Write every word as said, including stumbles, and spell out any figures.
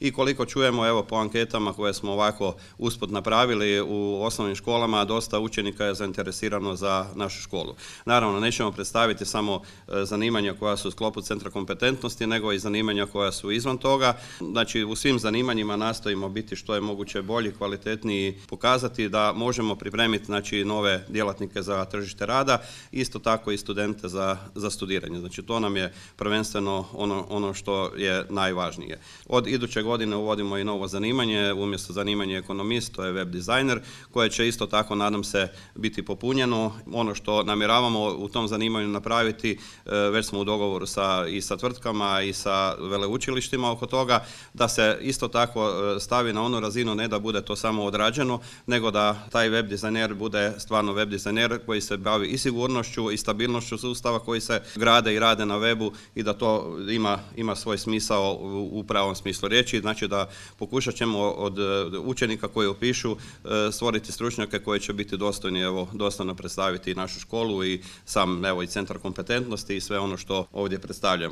I koliko čujemo, evo, po anketama koje smo ovako usput napravili u osnovnim školama, dosta učenika je zainteresirano za našu školu. Naravno, nećemo predstaviti samo zanimanja koja su u sklopu centra kompetentnosti, nego i zanimanja koja su izvan toga. Znači, u svim zanimanjima nastojimo biti što je moguće bolji, kvalitetniji, pokazati da možemo pripremiti, znači, nove djelatnike za tržište rada, isto tako i studente za, za studiranje. Znači, to nam je prvenstveno ono, ono što je najvažnije. Od iduće godine uvodimo i novo zanimanje, umjesto zanimanja ekonomist, to je web dizajner, koje će isto tako, nadam se, biti popunjeno. Ono što namjeravamo u tom zanimanju napraviti, već smo u dogovoru sa, i sa tvrtkama i sa veleučilištima oko toga, da se isto tako stavi na onu razinu, ne da bude to samo odrađeno, nego da taj web dizajner bude stvarno web dizajner koji se bavi i sigurnošću i stabilnošću sustava koji se grade i rade na webu i da to ima, ima svoj smisao u, u pravom smislu riječi. Znači da pokušat ćemo od učenika koji upišu stvoriti stručnjake koji će biti dostojni, evo, dostojno predstaviti našu školu i sam, evo, i centar kompetentnosti i sve ono što ovdje predstavljamo.